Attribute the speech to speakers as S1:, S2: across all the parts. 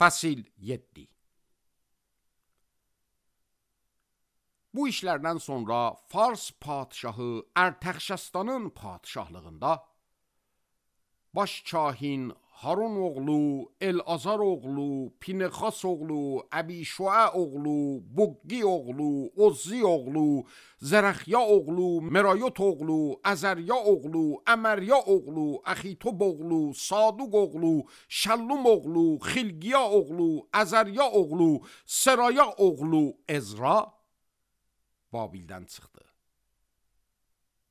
S1: Fəsil 7. Bu işlərdən sonra Fars padşahı Ərtəxşəstanın padşahlığında baş kahin Harun oğlu, Elazar oğlu, Pinexas oğlu, Əbişua oğlu, Buqqi oğlu, Ozzi oğlu, Zərəxya oğlu, Merayot oğlu, Əzərya oğlu, Əmərya oğlu, Əxitob oğlu, Saduq oğlu, Şəllum oğlu, Xilqiya oğlu, Əzərya oğlu, Seraya oğlu Ezra Babildən çıxdı.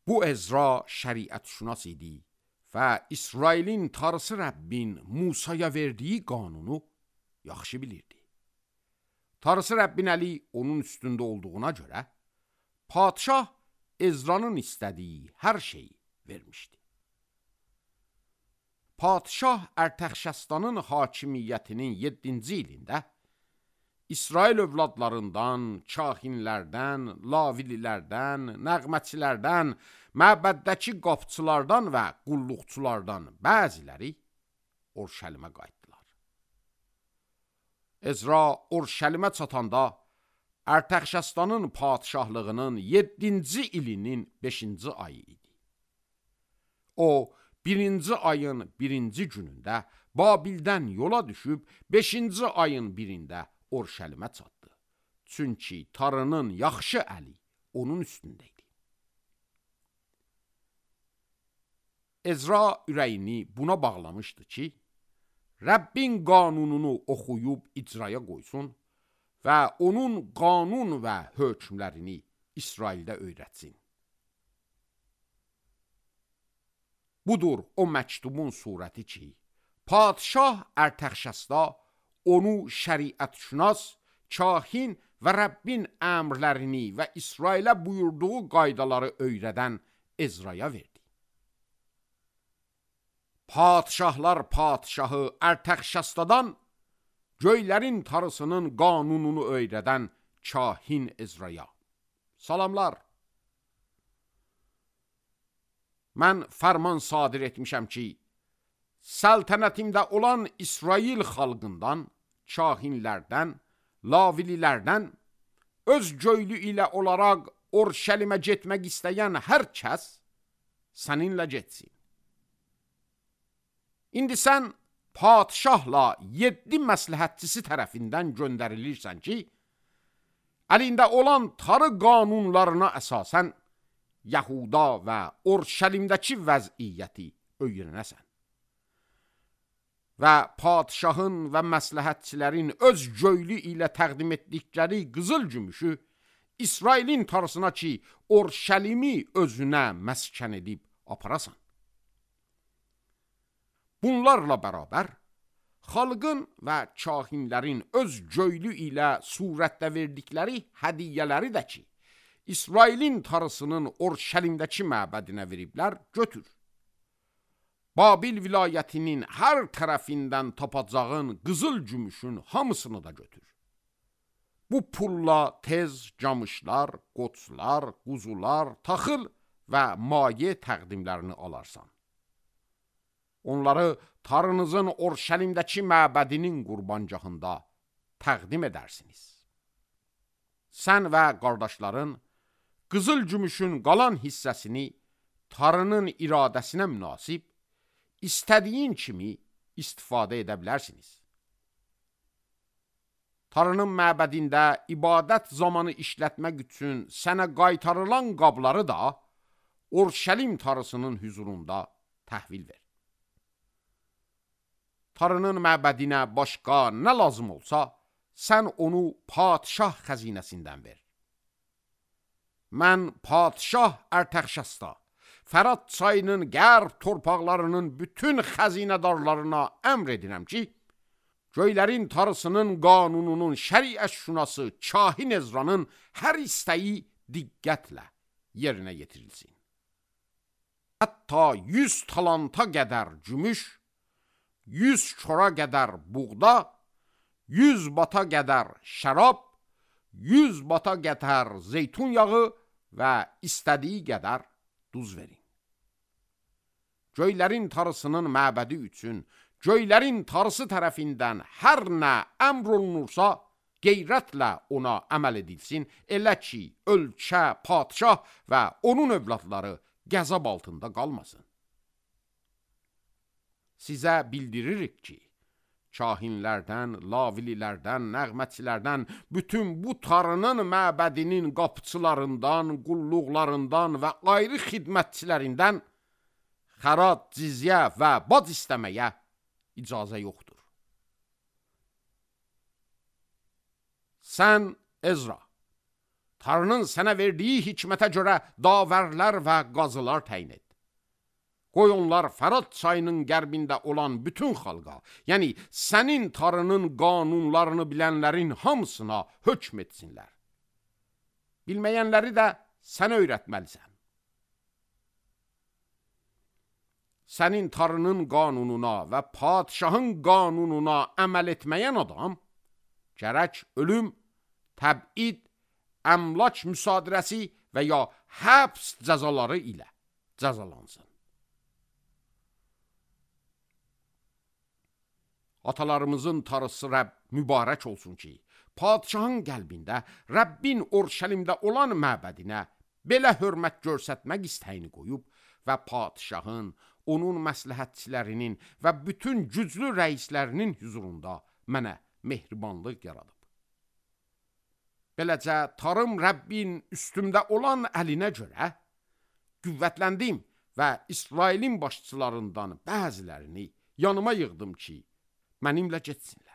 S1: Bu Ezra şəriətşünas idi və İsrailin Tanrısı Rəbbin Musaya verdiyi qanunu yaxşı bilirdi. Tanrısı Rəbbin əli onun üstündə olduğuna görə, padşah Ezra'nın istədiyi hər şeyi vermişdi. Padşah Ərtəxşəstanın hakimiyyətinin 7-ci ilində İsrail övladlarından, kahinlərdən, lavililərdən, nəğməçilərdən, məbəddəki qapçılardan və qulluqçulardan bəziləri Orşəlimə qayıtdılar. Ezra Orşəlimə çatanda Ərtəxşəstanın padşahlığının 7-ci ilinin 5-ci ayı idi. O, 1-ci ayın 1-ci günündə Babildən yola düşüb 5-ci ayın 1-də Orşəlimə çatdı. Çünki Tanrının yaxşı əli onun üstündə idi. Ezra ürəyini buna bağlamışdı ki, Rəbbin qanununu oxuyub icraya qoysun və onun qanun və hökmlərini İsraildə öyrətsin. Budur o məktubun surəti ki, padşah Ərtəxşəsta onu şəriətşünas, kahin və Rəbbin əmrlərini və İsrailə buyurduğu qaydaları öyrədən Ezraya verdi. Padşahlar padşahı Ərtəxşəstadan göylərin Tanrısının qanununu öyrədən kahin Ezraya. Salamlar. Mən fərman sadir etmişəm ki, səltənətimdə olan İsrail xalqından, kahinlərdən, lavililərdən, öz göylü ilə olaraq Orşəlimə getmək istəyən hər kəs səninlə getsin. İndi sən padşahla 7 məsləhətçisi tərəfindən göndərilirsən ki, əlində olan Tanrı qanunlarına əsasən Yahuda və Orşəlimdəki vəziyyəti öyrənəsən. Və padşahın və məsləhətçilərin öz göylü ilə təqdim etdikləri qızıl gümüşü İsrailin Tanrısına ki, Orşəlimi özünə məskən edib aparasan. Bunlarla bərabər, xalqın və kahinlərin öz göylü ilə surətdə verdikləri hədiyyələri də ki, İsrailin Tanrısının Orşəlimdəki məbədinə veriblər, götür. Babil vilayətinin hər tərəfindən tapacağın qızıl gümüşün hamısını da götür. Bu pulla tez camışlar, qoçlar, quzular, taxıl və maye təqdimlərini alarsan. Onları Tanrınızın Orşəlimdəki məbədinin qurbancağında təqdim edərsiniz. Sən və qardaşların qızıl gümüşün qalan hissəsini Tanrının iradəsinə münasib İstədiyin kimi istifadə edə bilərsiniz. Tanrının məbədində ibadət zamanı işlətmək üçün sənə qaytarılan qabları da Orşəlim Tanrısının hüzurunda təhvil ver. Tanrının məbədinə başqa nə lazım olsa, sən onu padşah xəzinəsindən ver. Mən padşah Ərtəxşəsta, Fərat çayının qərb torpaqlarının bütün xəzinədarlarına əmr edirəm ki, göylərin Tanrısının qanununun şəriətşünası kahin Ezra'nın hər istəyi diqqətlə yerinə yetirilsin. Hətta 100 talanta qədər gümüş, 100 kora qədər buğda, 100 bata qədər şərab, 100 bata qədər zeytun yağı və istədiyi qədər duz verin. Göylərin Tanrısının məbədi üçün göylərin tarısı tərəfindən hər nə əmr olunursa, qeyrətlə ona əməl edilsin, elə ki, ölkə, padşah və onun övladları qəzab altında qalmasın. Sizə bildiririk ki, kahinlərdən, lavililərdən, nəğməçilərdən, bütün bu tarının məbədinin qapıçılarından, qulluqlarından və ayrı xidmətçilərindən xərac, cizyə və bac istəməyə icazə yoxdur. Sən, Ezra, Tanrının sənə verdiyi hikmətə görə davərlər və qazılar təyin et. Qoy onlar Fərat çayının qərbində olan bütün xalqa, yəni sənin Tanrının qanunlarını bilənlərin hamısına hökm etsinlər. Bilməyənləri də sən öyrətməlisən. Sənin Tanrının qanununa və padşahın qanununa əməl etməyən adam, gərək ölüm, təbid, əmlak müsadirəsi və ya həbs cəzaları ilə cəzalansın. Atalarımızın Tanrısı Rəbb mübarək olsun ki, padşahın qəlbində Rəbbin Orşəlimdə olan məbədinə belə hörmət göstərmək istəyini qoyub və padşahın, onun məsləhətçilərinin və bütün güclü rəislərinin huzurunda mənə mehribanlıq yaradıb. Beləcə, Tanrım Rəbbin üstümdə olan əlinə görə qüvvətləndim və İsrailin başçılarından bəzilərini yanıma yığdım ki, mənimlə getsinlər.